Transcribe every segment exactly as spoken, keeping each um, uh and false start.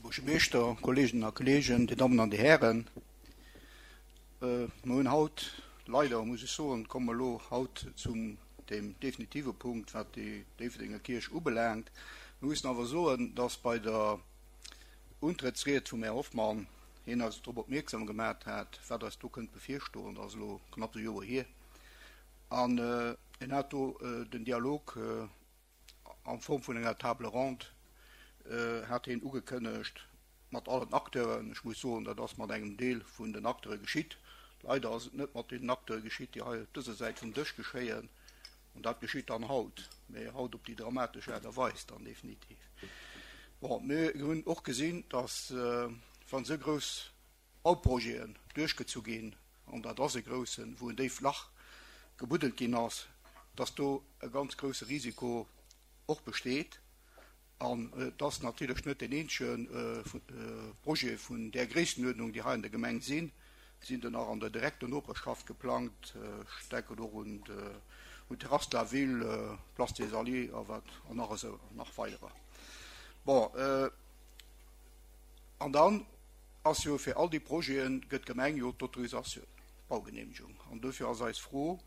Buergermeeschter, Kolleeginnen a Kolleegen, Dir Dammen an Dir Hären, mir hunn haut, leider muss ech soen, komme mer elo haut zum deem definitive Punkt, wat déi Déifferdenger Kierch ubelaangt. Mir mussen awer soen, dass bei der Untrëttsried vum Här Hoffmann hien eis drop opmierksam gemat hat, wat eis do kënnt bevirstoen. Dat ass elo knapps e Joer hier. An en hat do den Dialog a Form vun enger Table ronde hat hien ugekënnegt mat allen Acteuren. Ech muss soen, dat ass mat engem Deel vun den Acteure geschitt. Leider ass et net mat deenen Acteure geschitt, déi hei op dëser Säit vum Dësch geschéien. An dat geschitt dann haut, mä haut op déi dramatesch Aart a Weis dann definitiv. Bon, mir hunn och gesinn, dass, wann esou grouss Bauprojeten duerchgezu ginn, an dat ass e groussen, wou en déift Lach gebuddelt ginn ass, dass do e ganz grousse Risiko och besteet. An et ass natierlech net deen eenzege Projet vun där Gréisstenuerdnung, déi hei an der Gemeng sinn. Et sinn der nach an der direkter Noperschaft geplangt. Ech denken och un d'Terrasse de la Ville, Place des Alliés a wat an nach esou nach weiderer. Bon, an dann ass jo fir all déi Projete gëtt d'Gemeng jo d'Autorisatioun, d'Baugenehmegung. An dofir ass eis Fro,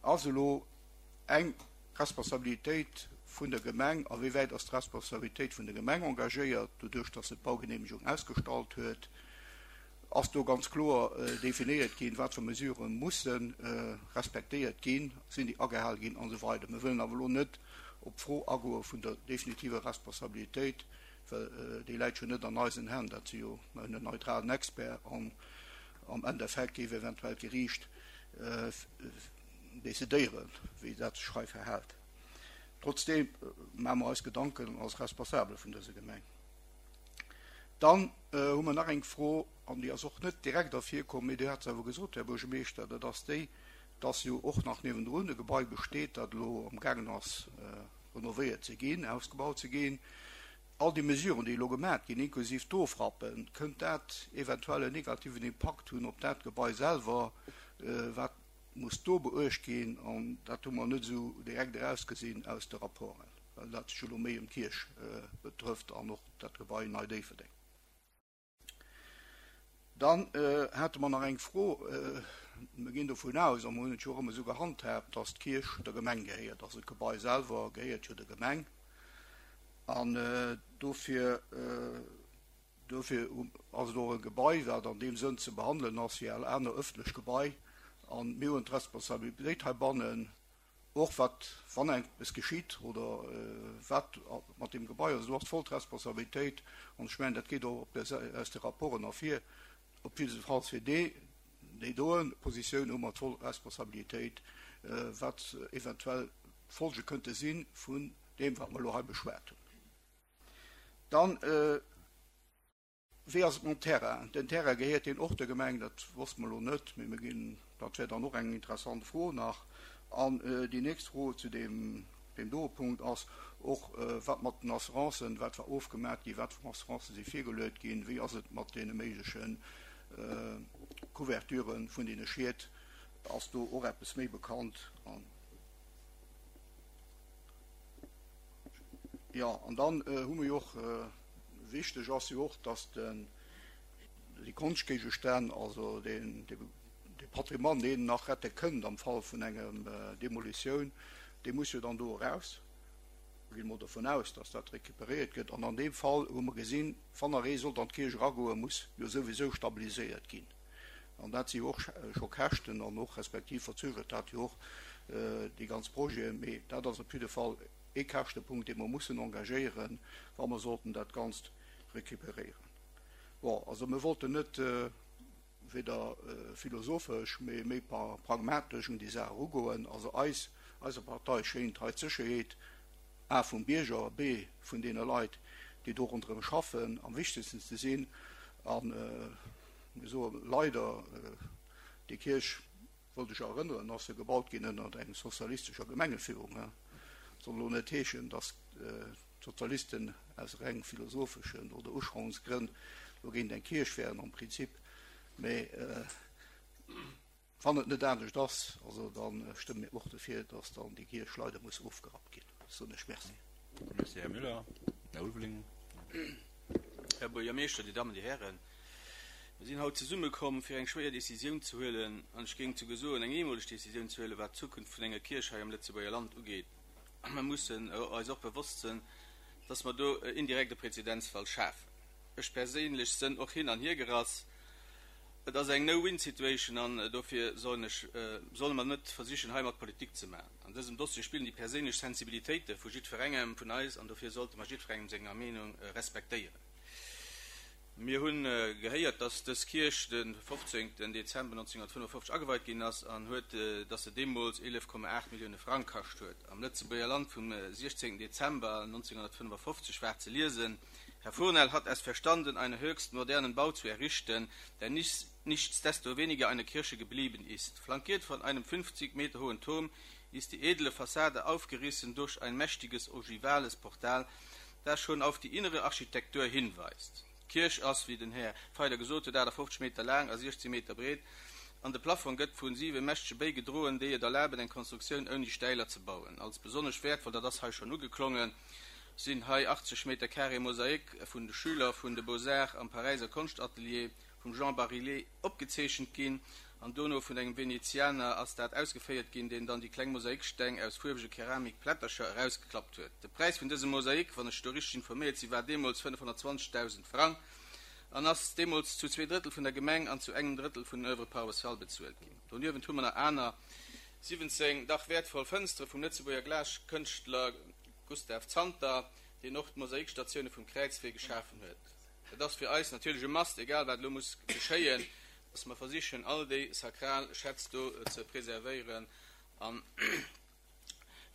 Ass elo eng Responsabilitéit vun der Gemeng, a wéi wäit ass d'Responsabilitéit vun der Gemeng engagéiert, doduerch datt se d'Baugenehmegung ausgestallt huet? Ass do ganz kloer definéiert ginn, wat fir Mesurë musse respektéiert ginn, sinn déi agehal ginn an esou weider. Mir wëllen awer elo net op d'Fro agoe vun der definitiver Responsabilitéit, well déi läit jo net an eisen Hänn. Dat si jo, mir hunn en neutralen Expert an am Endeffekt géif eventuell d'Geriicht decidéieren, wéi dat sech hei verhält. Trotzdeem maache mer eis Gedanken als Responsabel vun dëser Gemeng. Dann hu mer nach eng Fro, an déi ass och net direkt ervirkomm, mee Dir hat se awer gesot, Här Buergermeeschter, dat ass déi, dass jo och nach niewendrun e Gebai besteet, dat elo amgaangen ass renovéiert ze ginn, ausgebaut ze ginn. All déi Mesuren, déi elo gemaach ginn, inklusiv d'Ofrappen, kënnt dat eventuell en negativen Impakt hunn op dat Gebai selwer, wat muss do beuecht ginn? An dat hu mer net esou direkt erausgesinn aus de Rapporten, well dat sech elo méi ëm d'Kierch betrëfft an och dat Gebai Nei Déifferdeng. Dann hate mer nach eng Fro. Mir ginn dovun aus, a mer hunn et jo och ëmmer esou gehandhaabt, dass d'Kierch der Gemeng gehéiert. Also d'Gebai selwer gehéiert jo der Gemeng. An dofir, dofir ass et och e Gebai, wat an deem Sënn ze behandelen ass wéi all aner ëffentlech Gebai. A mir hunn d'Responsabilitéit heibannen, och wat, wann eppes geschitt oder wat mat deem Gebai ass, do ass d'voll Responsabilitéit, an ech mengen, dat geet och op der, aus de Rapporten ervir, op jiddefalls fir déi, déi doen Positioun hu mer d'voll Responsabilitéit, wat eventuell d'Folge kënnte si vun deem, wat mer elo hei beschwat hunn. Dann. Wéi ass et mam Terrain? Den Terrain, gehéiert deen och der Gemeng? Dat wosste mer elo net, mee mir ginn, dat wär dann och eng interessant Fro nach. An déi nächst Fro zu deem, deem doe Punkt ass och, wat mat den Assurancen, wat war ofgemat ginn, wat fir Assurancen si virgeluet ginn, wéi ass et mat deene méigleche Couverture vun deene Schied, ass do och eppes méi bekannt? An, jo, an dann hu mer jo och, Wichteg ass jo och, dass déi Konschtgéigestänn, also dee Patrimoine, deen nach rette kënnt am Fall vun enger Demolitioun, dee muss jo dann do eraus. Mir ginn emol dovun aus, dass dat recuperéiert gëtt. An an deem Fall hu mer gesinn, wann nach ee sollt an d'Kierch eragoen, muss jo souwisou stabiliséiert ginn. An dat si jo och scho Käschten an och respektiv verzögert dat jo och déi ganz Projeten. Mee dat ass op jidde Fall ee Käschtepunkt, dee mer mussen engagéieren, wa mer sollten dat Ganzt récupéréieren. Bon, also mir wollten net weder philosophesch, mee méi pragmatesch un déi Saach erugoen. Also eis, eiser Partei schéint hei d'Sécherheet, a vum Bierger, b vun deene Leit, déi do ronderëm schaffen, am wichtegsten ze sinn. A mir soe leider, déi Kierch, Wollt ech erënneren, ass se gebaut ginn ënnert eng sozialistescher Gemengeführung. Soll elo net heeschen, datt d'Sozialisten aus reng philosopheschen oder Uschauungsgrënn elo géint eng Kierch wären am Prinzip, mä wann et net anescht ass, also da stëmme mir och dofir, datt dann déi Kierch leider muss ofgerappt ginn. Soen ech Merci. Merci, Här Müller. Här Ulveling. Här Buergermeeschter, Dir Dammen, Dir Hären, mir sinn haut zesummekomm, fir eng schwéier Décisioun ze huelen, an ech géing souguer soen, eng eemoleg Décisioun ze huelen, wat d'Zukunft vun enger Kierch hei am Lëtzebuerger Land ugeet. Mer mussen eis och bewosst sinn, dass mer do indirekt e Präzedenzfall schafen. Ech perséinlech sënn och hin an hiergerass. Et ass eng No-Win-Situation an dofir sollen ech, solle mer net versichen, heimat Politik ze maachen. An dësem Dossier spillen déi perséinlech Sensibilitéite vu jiddwerengem vun eis an dofir sollte mer jiddwerengem senger Meenung respektéieren. Mir hunn gehéiert, dass dës Kierch de fofzéngten Dezember nonzénghunnertfënnefofzeg ageweit ginn ass an huet, dass se deemools eelef Komma aacht Millioune Frang kascht huet. Am Lëtzebuerger Land vum siechzéngten Dezember nonzénghunnertfënnefofzeg war ze liesen, Herr Fournel hat es verstanden, einen höchst modernen Bau zu errichten, der nicht, nichtsdestoweniger eine Kirche geblieben ist. Flankiert von einem fünfzig Meter hohen Turm ist die edle Fassade aufgerissen durch ein mächtiges ogivales Portal, das schon auf die innere Architektur hinweist. D'Kierch ass, wéi den Här Feiler gesot huet, achtafofzeg Meter laang a siechzéng Meter breet, an de Plafong gëtt vu siwe mächtege Béi gedroen, déi et erlaben, eng Konstruktioun ouni Stäiler ze bauen. Als besonnesch wäertvoll, dat ass hei schonn ugeklongen, sinn hei achtzeg Meter carré Mosaik vun de Schüler vun de Beaux-Arts am Paräiser Konschtatelier vum Jean Barillet opgezeechent ginn, an dono vun engem Venezianer ass dat ausgeféiert ginn, deen dann déi kleng Mosaiksteng aus fuerwege Keramikplättercher erausgeklappt huet. De Präis vun dësem Mosaik, wann ech do richteg informéiert sinn, war deemools fënnefhonnertzwanzegdausend Frang an ass deemools zu zwee Drëttel vun der Gemeng an zu engem Drëttel vun den Oeuvres paroissiales bezuelt ginn. Doniewent hu mer nach aner siwwenzéng dach wäertvoll Fënstere vum Lëtzebuerger Glaskënschtler Gustave Zanter, deen och d'Mosaikstatioune vum Kräizwee geschafen huet. Et ass fir eis natierlech e Must, egal wat elo muss geschéien, dass mer versichen, all déi sakral Schätz do ze preservéieren. An,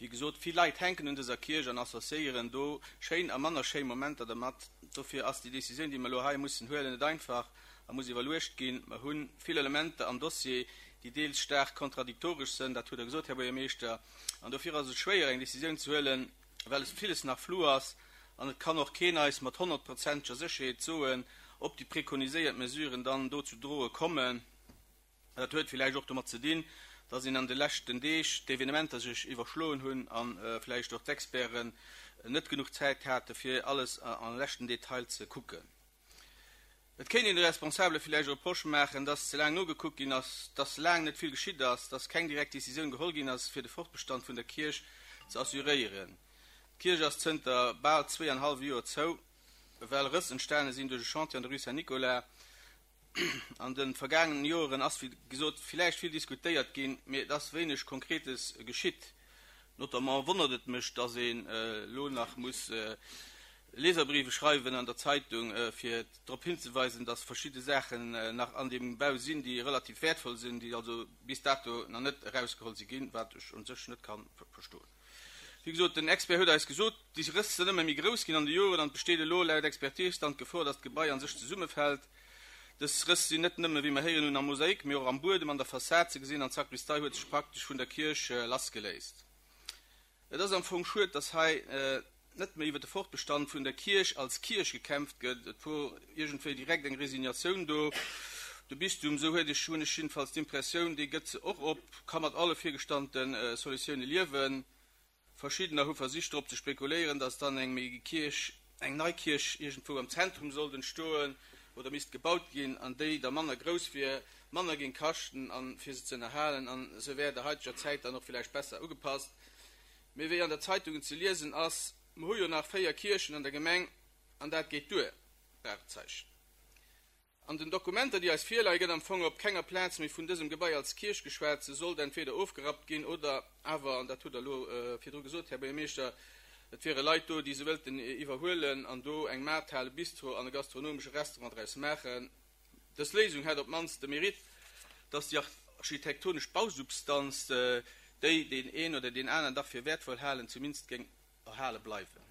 wéi gesot, vill Leit hänken un dëser Kierch an associéieren do schéin a manner schéi Momenter dermat. Dofir ass déi Décisioun, déi mer elo hei mussen huelen, net einfach a muss iwwerluecht ginn. Mer hu vill Elementer am Dossier, déi deels staark kontradiktoresch sënn, dat hutt Der gesot, Här Buergermeeschter, an dofir ass et schwéier, eng Décisioun ze huelen, well es villes nach flou ass an et kann och keen eis mat honnertprozenteger Sécherheet soen, ob déi prekoniséiert Mesuren dann do zu droe kommen. Dat huet villäicht och domat ze dinn, dass een an de leschten Deeg d'Evenementer sech iwwerschloen hunn a vläicht och d'Experten net genuch Zäit hate fir alles am leschten Detail ze kucken. Et kéint een de Responsabele villäicht e Reproche maachen, dass ze laang nogekuckt ginn ass, dass laang net vill geschitt ass, dass keng direkt Decisioun geholl ginn ass, fir de Fortbestand vun der Kierch ze assuréieren. D'Kierch ass zënter bal zwee an hallwe Joer zou, well Rëss entstane sinn duerch e Chantier an der Rue Saint-Nicolas. An de vergaangenen Joeren ass, wéi gesot, villäicht vill diskutéiert ginn, mee et ass wéineg Konkretes geschitt. Notamment wonnert et mech, dass een elo nach muss Leserbriefe schreiwen an der Zeitung, fir drop hinzeweisen, dass verschidde Saachen nach an deem Bau sinn, déi relativ wäertvoll sinn, déi also bis dato nach net erausgeholl si ginn, wat ech u sech net ka verstoen. Wéi gesot, den Expert huet eis gesot, déi Rëss sinn ëmmer méi grouss ginn an de Joren an et besteet elo laut Expertise dann d'Gefor, dass d'Gebai an sech zesummefält. Dës Rëss sinn net nëmme, wéi mer héieren hunn, am Mosaik, mee och am Buedem, an der Fassad ze gesinn an d'Sakristei huet sech praktesch vun der Kierch lassgeléist. Et ass am Fong schued, dass hei net méi iwwer de Fortbestand vun der Kierch als Kierch gekämpft gëtt. Et wor iergendwéi direkt eng Resignatioun do. De Bistum, esou huet ech, hunn ech jiddefalls d'Impressioun, dee gëtt se och op, ka mat alle virgestannte Solutioune liewen. Verschiddener hu versicht drop ze spekuléieren, dass dann eng méi Kierch, eng nei Kierch iergendwou am Zentrum sollt entstoen oder misst gebaut ginn an déi da manner grouss wier, manner géing kaschten an fir se ze ënnerhalen an se wär der haiteger Zäit dann och villäicht besser ugepasst. Mee wéi an der Zeitungen ze liesen ass, Mer hu jo nach véier Kierchen an der Gemeng an dat geet duer, Fragezeichen. An den Dokumenter, déi eis virleie, gëtt am Fong op kenger Plaz méi vun dësem Gebai als Kierch geschwat. Se sollt entweder ofgerappt ginn oder awer, an dat hutt Der elo virdru gesot, Här Buergermeeschter, et wiere Leit do, déi se wëllten iwwerhuelen an do eng Maarthal, e Bistro an e gastronomesche Restaurant draus maachen. Dës Léisung hätt op d'mannst de Mérite, dass déi architektonesch Bausubstanz, déi deen een oder deen aneren dach fir wäertvoll halen, zumindest géing erhale bleiwen.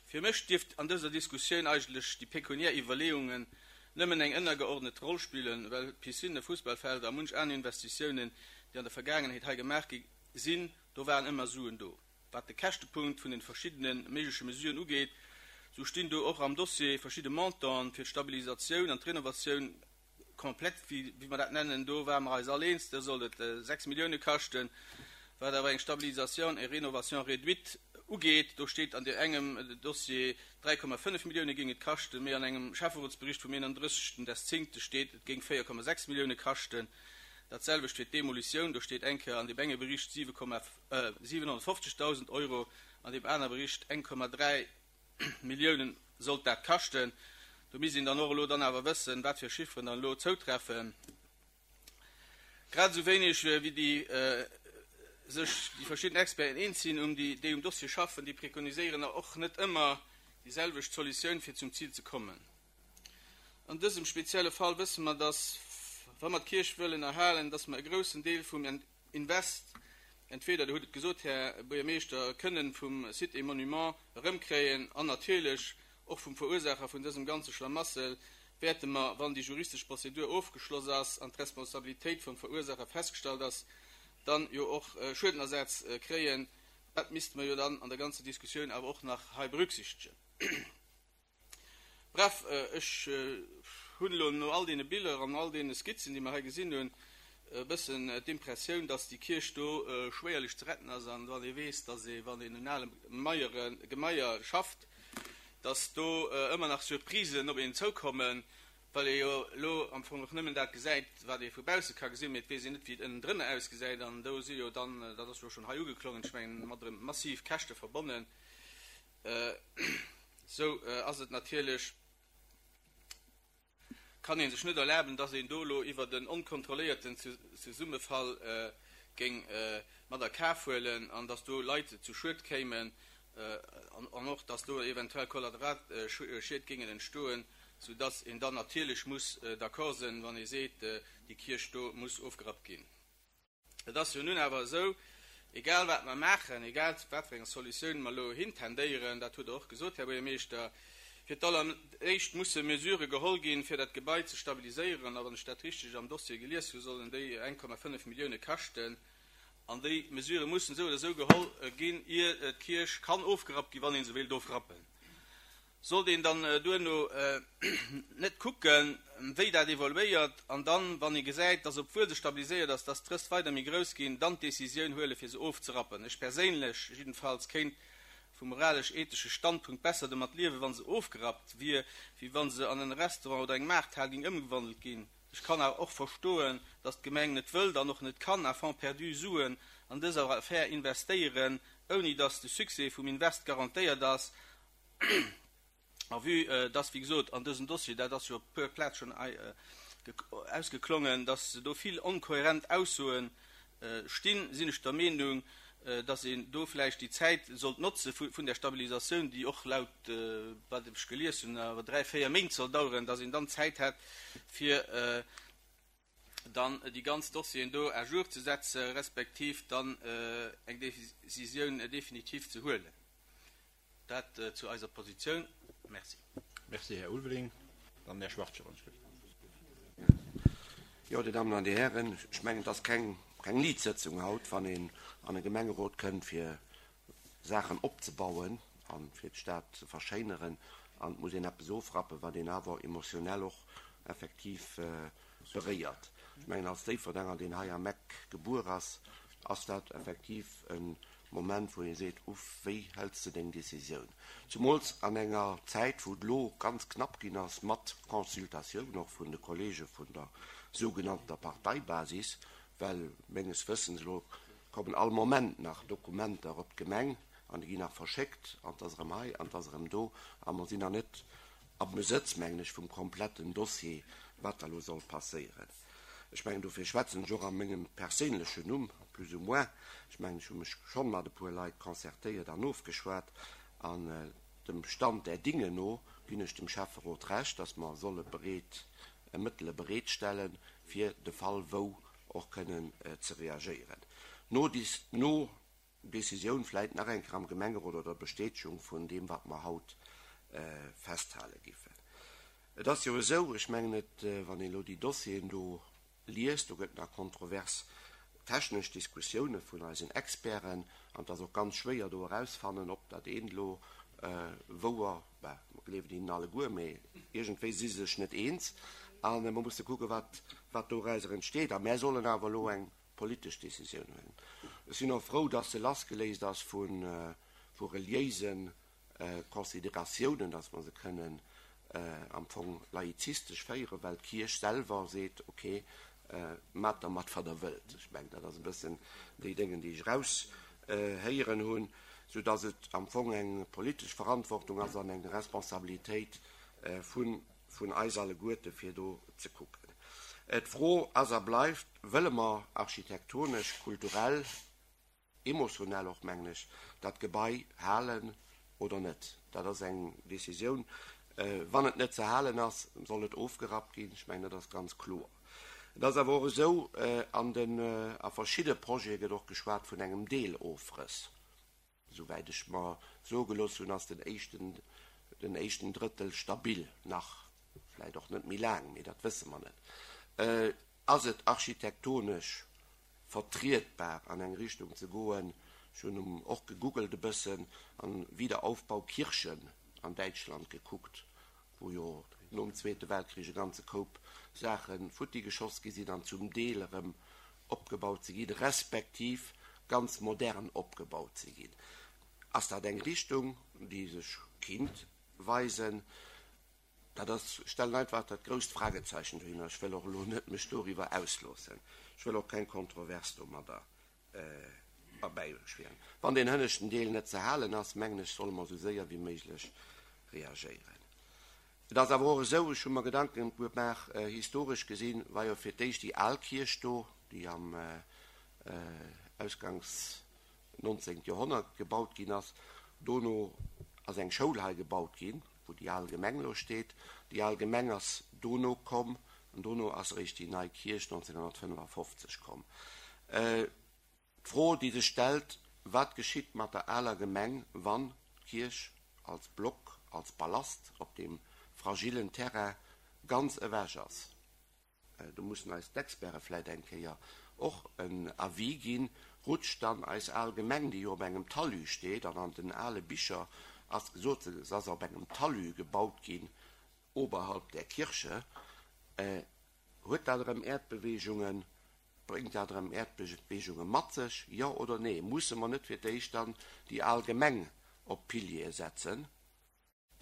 Fir mech dierft an dëser Diskussioun eigentlech déi pekuniär Iwwerleeungen nëmmen eng ënnergeordnet Roll spillen, well Piscinë, Fussballfelder a munch aner Investitiounen, déi an der Vergaangenheet hei gemaach gi sinn, do waren ëmmer Suen do. Wat de Käschtepunkt vun den verschiddene méigleche Mesuren ugeet, sou stinn do och am Dossier verschidde Montanten fir d'Stabilisatioun an d'Renovatioun komplett, wéi mer dat nennen, do ware mer eis all eens, do sollt et sechs Millioune kaschten, wat awer eng Stabilisation et rénovation réduite ugeet. Do steet an engem Dossier dräi Komma fënnef Millioune géing et kaschten, mee an engem Schäfferotsbericht vum eenandrëssegsten des zéngte steet, et géing véier Komma sechs Millioune kaschten. Dat selwecht fir d'Demolitioun, do steet eng Kéier an deem enge Bericht siwe Komma siwenhonnertfofzegdausend Euro, an deem aner Bericht eng Komma dräi Milliounen sollt dat kaschten. Do misst een dann och elo dann awer wëssen, wat fir Chifferen dann elo zoutreffen. Grad esou wéineg wéi déi sech déi verschidden Experten eens sinn, um déi déi um Dossier schaffen, déi prekoniséieren och net ëmmer déi selwecht Solutioun fir zum Zil ze kommen. An dësem spezielle Fall wësse mer, dass wa mer d'Kierch wëllen erhalen, dass mer e groussen Deel vum Invest entweder, Dir hutt et gesot, Här Buergermeeschter, kënnen vum Sites et Monuments erëmkréien an natierlech och vum Verursaacher vun dësem ganze Schlamassel wäerte mer, wann déi juristesch Prozedur ofgeschloss ass an d'Responsabilitéit vum Verursaacher festgestallt ass, dann jo och Schuedenersatz kréien. Dat misste mer jo dann an der ganzer Diskussioun awer och nach hei berücksichtegen. Bref, ech hunn elo no all deene Biller an all deene Skizzen, déi mer hei gesinn hunn, e bëssen d'Impressioun, dass déi Kierch do schwéierlech ze retten ass. An wann ee weess, dass ee, wann een un ale Maiere, Gemaier schafft, dass do ëmmer nach Surprisen op een zoukommen, well ee jo elo am Fong och nëmmen dat gesäit, wat ee vu bausse ka gesinn, mee et weess een net, wéi et ënnendrënner ausgesäit. An do si jo dann, dat ass jo schonn hei ugeklongen, ech mengen, mat erëm massiv Käschte verbonnen. Sou ass et natierlech, kann ee sech net erlaben, dass een do elo iwwert en onkontrolléierten Zesummefall géing mat a Kaf huelen an dass do Leit zu Schued kéimen an och, dass do eventuell Kollateralschied géingen entstoen, soudass een dann natierlech muss d'accord sinn, wann ee seet, déi Kierch do muss ofgerappt ginn. Et ass jo nun awer esou, egal wat mer maachen, egal zu wat fir enger Solutioun mer elo hintendéieren, dat hutt Der och gesot, Här Buergermeeschter, fir d'alleréischt musse Mesurë geholl ginn, fir dat Gebai ze stabiliséieren, a wann ech dat richteg am Dossier gelies hu, sollen déi eng Komma fënnef Millioune kaschten. An déi Mesurë mussen esou oder esou geholl ginn, ier d'Kierch kann ofgerappt ginn, wann ee se wéilt ofrappen. Sollt een dann duerno net kucken, wéi dat evoluéiert, an dann, wann ee gesäit, dass obwuel se stabiliséiert ass, dass d'Rëss weider méi grouss ginn, dann d'Decisioun huelen, fir se ofzerappen? Ech perséinlech jiddefalls kéint vum moralesch-ethesche Standpunkt besser domat liewen, wa se ofgerappt wier, wéi wa se an en Restaurant oder eng Maarthal géing ëmgewandelt ginn. Ech kann awer och verstoen, dass d'Gemeng net wëllt an och net kann à fonds perdu Suen an dëser Affär investéieren, ouni dass de Succès vum Invest garantéiert ass. A vue dass, wéi gesot, an dësem Dossier, dat ass jo op puer Plaz schonn ausgeklongen, dass do vill onkohärent Aussoen stinn, sinn ech der Meenung, dass een do vläicht déi Zäit sollt notze vun der Stabilisatioun, déi och laut wat ech gelies hunn awer dräi, véier Méint soll daueren, dass een dann Zäit hätt, fir dann déi ganz Dossieren do à jour ze setze respektiv dann eng Décisioun definitiv ze huelen. Dat zu eiser Positioun. Merci. Merci, Här Ulveling. Dann Här Schwachtgen. Jo, Dir Dammen an Dir Hären, ech mengen, et ass keng keng Liit Sëtzung haut, wann een an e Gemengerot kënnt, fir Saachen opzebauen a fir d'Stad ze verschéineren, an et muss een eppes ofrappen, wat een awer emotionell och effektiv beréiert. Ech mengen, als Déifferdenger, deen hei am Eck gebuer ass, ass dat effektiv e Moment, wou ee seet, Uff, wéi hëls de deng Decisioun? Zumools an enger Zäit, wou et elo ganz knapp ginn ass mat Consultatioun och vun de Kollege vun der sougenannter Parteibasis, well menges Wëssens elo kommen all Moment nach Dokumenter op d'Gemeng an déi ginn nach verschéckt an 't ass erëm hei an 't ass erëm do a mer sinn nach net am Besëtz, mengen ech, vum kompletten Dossier, wat da elo soll passéieren. Ech mengen, dofir schwätzen ech och a mengem perséinlechen Numm, plus ou moins. Ech mengen, ech hu mech schonn mat e puer Leit concertéiert an ofgeschwat an dem Stand der Dinge no ginn ech dem Schäfferot Recht, dass mer solle bereet Mëttele bereetstellen, fir de Fall wou och kënnen ze reagéieren. No no Decisioun vläit nach eng Kéier am Gemengerot oder Bestätegung vun deem, wat mer haut festhale giffen. Et ass jo esou, ech mengen et, wann een elo déi Dossieren do liest, do gëtt nach kontrovers technesch Diskussioune vun eisen Experten an et ass och ganz schwéier do erausfannen, ob dat eent elo wouer, bah, mer gleewen hinnen alleguer, mee iergendwéi si se sech net eens a mer musse kucken, wat wat dorauser entsteet. A mär sollen awer elo eng politesch Decisioun huelen. Ech sinn och frou, dass se lassgeléist ass vu vu reliéise Consideratiounen, dass mer se kënnen am Fong laizistesch féieren, well d'Kierch selwer seet, ok, maacht dermat wat der wëllt. Ech mengen, dat ass e bëssen déi Déngen, déi ech eraushéieren hunn, soudass et am Fong eng politesch Verantwortung ass an eng Responsabilitéit vun vun eis alleguerte fir do ze kucken. D'Fro ass a bleift, Wëlle mer architektonesch, kulturell, emotionell och, mengen ech, dat Gebai halen oder net? Dat ass eng Décisioun. Wann et net ze halen ass, soll et ofgerappt ginn. Ech mengen, dat ass ganz kloer. Et ass awer och esou, an den, a verschidde Projete gëtt och geschwat vun engem Deelofrëss. Souwäit ech mer soe gelooss hunn, ass den éischten, den éischten Drëttel stabil, nach, vläicht och net méi laang, mee dat wësse mer net. Ass et architektonesch vertrietbar, an eng Richtung ze goen? Ech hunn och gegoogelt e bëssen an Wiederaufbau Kirchen an Däitschland gekuckt, wou jo nom Zweete Weltkrich e ganze Koup Saache futti geschoss gi sinn an zum Deel erëm opgebaut si ginn, respektiv ganz modern opgebaut si ginn. Ass dat eng Richtung, déi sech kinnt weisen? Dat ass, ech stellen einfach dat grousst Fragezeichen dohinner. Ech wëll och elo net mech doriwwer ausloossen. Ech wëll och keng Kontrovers domadder erbäischwéieren. Wann deen hënneschten Deel net ze halen ass, mengen ech, solle mer esou séier wéi méiglech reagéieren. Et ass awer och esou, ech hu mer Gedanken gemaach, historesch gesinn war jo fir d'éischt déi al Kierch do, déi am ausgangs nonzéngt Joerhonnert gebaut ginn ass. Dono ass eng Schoul hei gebaut ginn, wou déi al Gemeng elo steet. Déi al Gemeng ass dono komm an dono ass eréischt déi nei Kierch nonzénghonnertfënnefafofzeg komm. D'Fro, déi sech stellt, Wat geschitt mat der aler Gemeng, wann d'Kierch als Block, als Ballast op deem fragillen Terrain ganz ewech ass? Do mussen eis d'Experte vläicht eng Kéier och en Avis ginn. Rutscht dann eis al Gemeng, déi jo op engem Talus steet, an an den ale Bicher ass gesot, se ass op engem Talus gebaut ginn, oberhalb der Kirche, huet dat erëm Äerdbeweegungen, bréngt dat erëm Äerdbeweegunge mat sech, jo oder nee? Musse mer net fir d'éischt dann déi al Gemeng op Piliere setzen,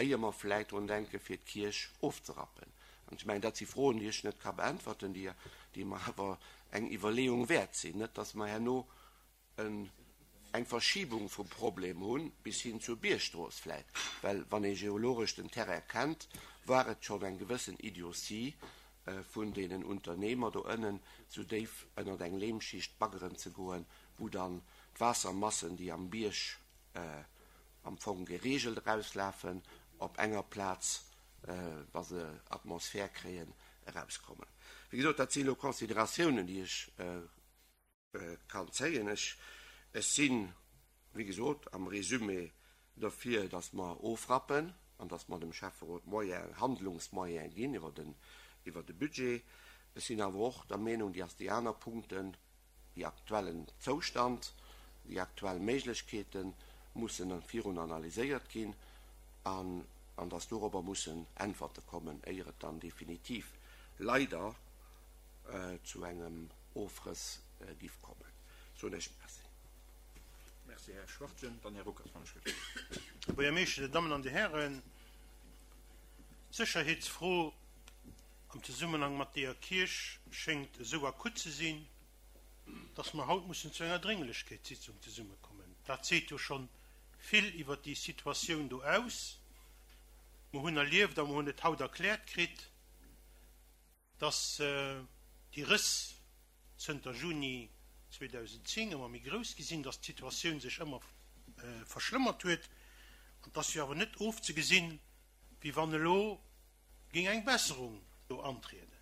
éier mer vläicht drun denken, fir d'Kierch ofzerappen? An ech mengen, dat si Froen, déi ech net ka beäntwerten, déi, déi mer awer eng Iwwerleeung wäert sinn. Net dass mer herno en, eng Verschiebung vum Problem hunn, bis hin zur Biergstrooss vläicht. Well wann ee geologesch den Terrain kennt, war et schonn eng gewëssen Idiotie vun deenen Unternehmer do ënnen, sou déif ënnert eng Lehmschicht baggeren ze goen, wou dann d'Waassermassen, déi am Bierg am Fong geregelt erauslafen, op enger Plaz, wa se Atmosphär kréien, erauskommen. Wéi gesot, dat si elo Consideratiounen, déi ech kann zéien. Ech, ech sinn, wéi gesot, am Résumé derfir, dass mer ofrappen an dass mer dem Schäfferot Moyen, Handlungsmoyen ginn iwwer den, iwwer de Budget. Ech sinn awer och der Meenung, déi ass déi aner Punkten, déi aktuellen Zoustand, déi aktuell Méiglechkeete mussen virun analyséiert ginn an, an dass dorobber mussen Äntwerte kommen, éier et dann definitiv leider zu engem Ofrëss giff kommen. Soen ech Merci. Merci, Här Schwachtgen. Dann Här Ruckert, wann ech gelift. Här Buergermeeschter, Dir Dammen an Dir Hären, d'Sécherheetsfro am Zesummenhang mat deeër Kierch schéngt esou akut ze sinn, dass mer haut mussen zu enger Drénglechkeetssitzung zesummekommen. Dat seet jo schonn vill iwwert déi Situatioun do aus. Mer hunn erlieft a mer hunn et haut erkläert kritt, dass déi Rëss zënter Juni zweedausendzéng ëmmer méi grouss gi sinn, dass d'Situatioun sech ëmmer verschlëmmert huet. An et ass jo awer net ofzegesinn, wéi wann elo géing eng Besserung do antrieden.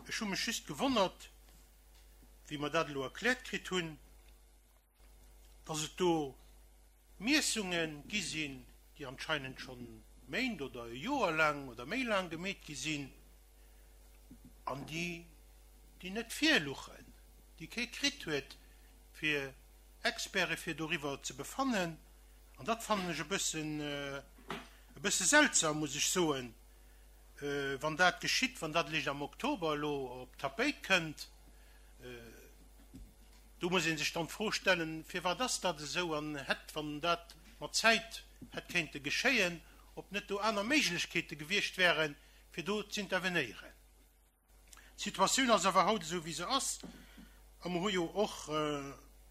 Ech hu mech just gewonnert, wéi mer dat elo erkläert kritt hunn, dass et do Miessunge gi sinn, déi anscheinend schonn Méint oder e Joer laang oder méi laang gemeet gi sinn an déi, déi net virluchen, déi kee kritt huet fir Experte fir doriwwer ze befannen. An dat fannen ech e bëssen, e bësse seltsam, muss ech soen, wann dat geschitt, wann dat eréischt am Oktober elo op d'Tapéit kënnt. Do muss ee sech dann d'Fro stellen, firwat ass dat esou an hätt, wann dat mat Zäit hätt kéinte geschéien, ob net do aner Méiglechkeete gewiescht wären, fir do z'intervenéieren. D'Situatioun ass awer haut esou wéi se ass a mer hu jo och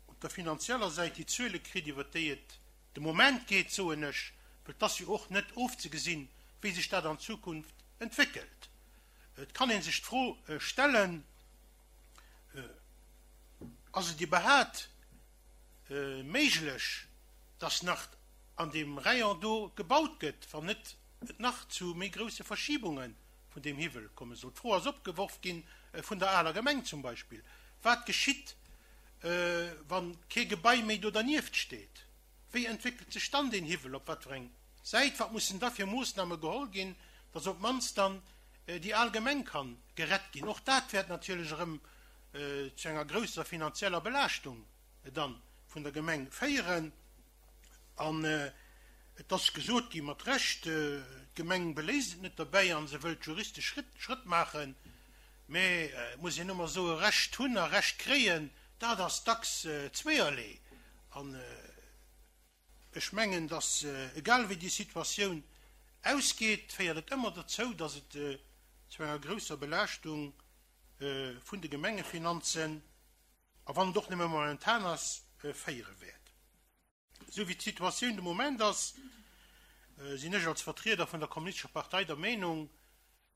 op der finanzieller Säit déi Zuele kritt, iwwert déi et de Moment geet, soen ech, well et ass jo och net ofzegesinn, wéi sech dat an Zukunft entwéckelt. Et kann ee sech d'Fro stellen, Ass et iwwerhaat méiglech, dass nach an deem Rayon do gebaut gëtt, wann net et nach zu méi grousse Verschibunge vun deem Hiwwel komme soll? D'Fro ass opgeworf gi vun der aler Gemeng zum Beispill, Wat geschitt, wa kee Gebai méi do dernieft steet? Wéi entwéckelt sech dann deen Hiwwel? Op wat fir eng Säit? Wat mussen da fir Moossname geholl ginn, dass op d'mannst dann déi al Gemeng ka gerett ginn? Och dat wäert natierlech erëm zu enger grousser finanzieller Belaaschtung dann vun der Gemeng féieren. An et ass gesot gi mat Recht, d'Gemeng beléisst et net derbäi a se wëllt juristesch Schrëtt maachen. Mä et muss een ëmmer soen, Recht hunn a Recht kréien, dat ass dacks zweeërlee. An ech mengen, datt egal wéi déi Situatioun ausgeet, féiert et ëmmer dozou, datt et zu enger grousser Belaaschtung vun de Gemengefinanzen, a wann et och nëmme momentan ass, féiere wäert. Esou wéi d'Situatioun de Moment ass, sinn ech als Vertrieder vun der Kommunistescher Partei der Meenung,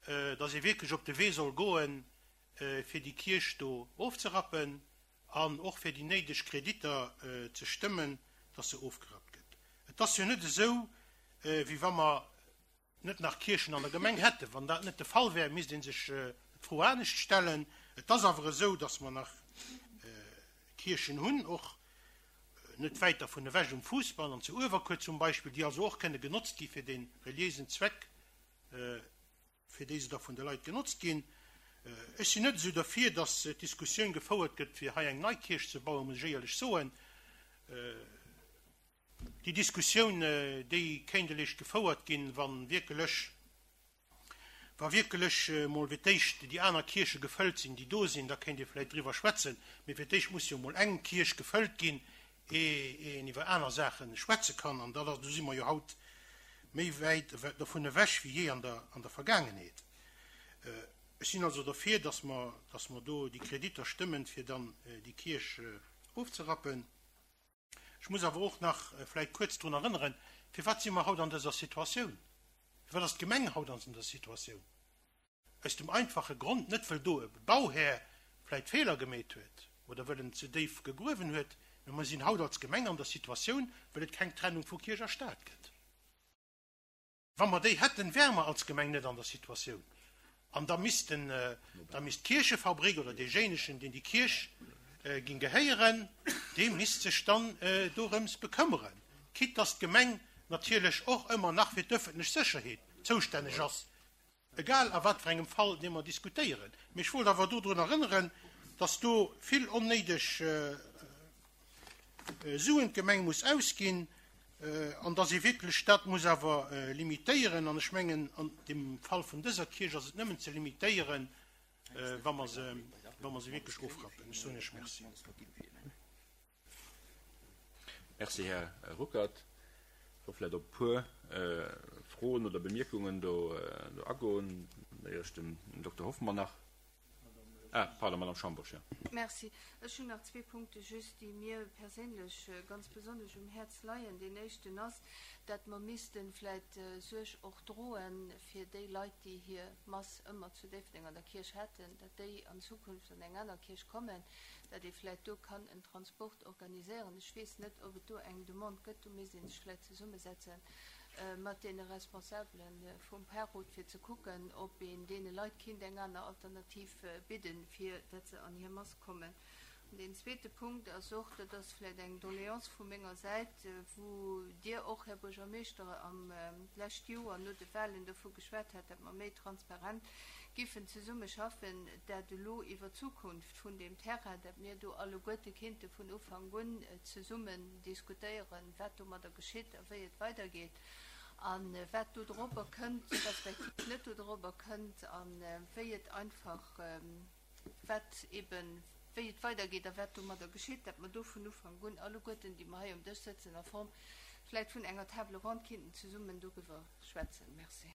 datt ee wierklech op de Wee soll goen, fir déi Kierch do ofzerappen an och fir déi néideg Kreditter ze stëmmen, datt se ofgerappt gëtt. Et ass jo net esou, wéi wa mer net nach Kierchen an der Gemeng hätten. Wann dat net de Fall wär, misst ee sech d'Fro anescht stellen. Et ass awer esou, datt mer nach Kierchen hunn, och net wäit dervun ewech um Fuussbann an zu Uewerkuer zum Beispill, déi also och kënne genotzt gi fir dee reliéisen Zweck, fir déi se da vun de Leit genotzt ginn. Ech sinn net esou derfir, datt d'Diskussioun gefouert gëtt, fir hei eng nei Kierch ze bauen, muss ech éierlech soen. Déi Diskussioun, déi kéint eréischt gefouert ginn, wa wierkelech, wa wierkelech emol fir d'éischt déi aner Kierche gefëllt sinn, déi do sinn, da kéint ee vläicht driwwer schwätzen. Mee fir d'éischt muss jo emol eng Kierch gefëllt ginn, ee een iwwer aner Saache schwätze kann. An dat ass, do si mer jo haut méi wäit dovun ewech wéi jee an der, an der Vergaangenheet. Ech sinn also derfir, dass mer, dass mer do déi Kreditter stëmmen, fir dann déi Kierch ofzerappen. Ech muss awer och nach vläicht kuerz drun erënneren, Firwat si mer haut an dëser Situatioun? Firwat ass d'Gemeng haut an dëser Situatioun? Aus dem einfache Grond, net wëll do e Bauhär vläicht Feeler gemeet huet oder wëll en ze déif gegruewen huet, mä mer sinn haut als Gemeng an der Situatioun, wëll et keng Trennung vu Kierch a Staat gëtt. Wa mer déi hätten, wäre mer als Gemeng net an der Situatioun. An da missten, da misst d'Kierchefabrik oder deejéinegen, deen déi Kierch ging gehéieren, dee misst sech dann dorëms bekëmmeren, quitte dass d'Gemeng natierlech och ëmmer nach fir d'ëffentlech Sécherheet zoustänneg ass, egal a wat fir engem Fall dee mer diskutéieren. Mee ech wollt awer dodrun erënneren, dass do vill onnéideg Suen d'Gemeng muss ausginn an dass ee wierklech dat muss awer limitéieren. An ech mengen, an dem Fall vun dëser Kierch ass et nëmmen ze limitéieren, wa mer se, wa mer se wierklech ofrappen. Ech soen Iech Merci. Merci, Här Ruckert. Ech wëll vläicht op e puer Froen oder Bemierkungen do agoen, éier ech dem Dokter Hoffmann nach. Ah, pardon, Madame Schambourg, jo. Merci. Ech hunn nach zwee Punkte just, déi mir perséinlech ganz besonnesch um Häerz leien. Deen éischten ass, dat mer misste vläit Suerg och droen fir déi Leit, déi hir Mass ëmmer zu Déifferdeng an der Kierch haten, dat déi an Zukunft an eng aner Kierch kommen, dat ee vläit do kann en Transport organiséieren. Ech weess net, ob et do eng Demande gëtt, do misst ee sech vläit zesummesetze mat deene Responsabele vum Parrot, fir ze kucken, ob een deene Leit kinnt eng aner Alternativ bidden, fir dat se an hir Mass kommen. An deen zweete Punkt ass och, dat ass vläicht eng Doléance vu menger Säit, wou Dir och, Här Buergermeeschter, am d'lescht Joer no de Wahlen dovu geschwat hat, dat mer méi transparent giffen zesumme schaffen, dat elo iwwer d'Zukunft vun deem Terrain, dat mir do alleguerte kinnte vun Ufank un zesummen diskutéieren, wat domadder geschitt a wéi et weidergeet a wat do dorobber kënnt respektiv net do dorobber kënnt a wéi et einfach, wat eben, wéi et weidergeet a wat domadder geschitt, dat mer do vun Ufank un alleguerten, déi mer hei um Dësch sëtzen, a Form vläicht vun enger Table ronde kinnten zesummen doriwwer schwätzen. Merci.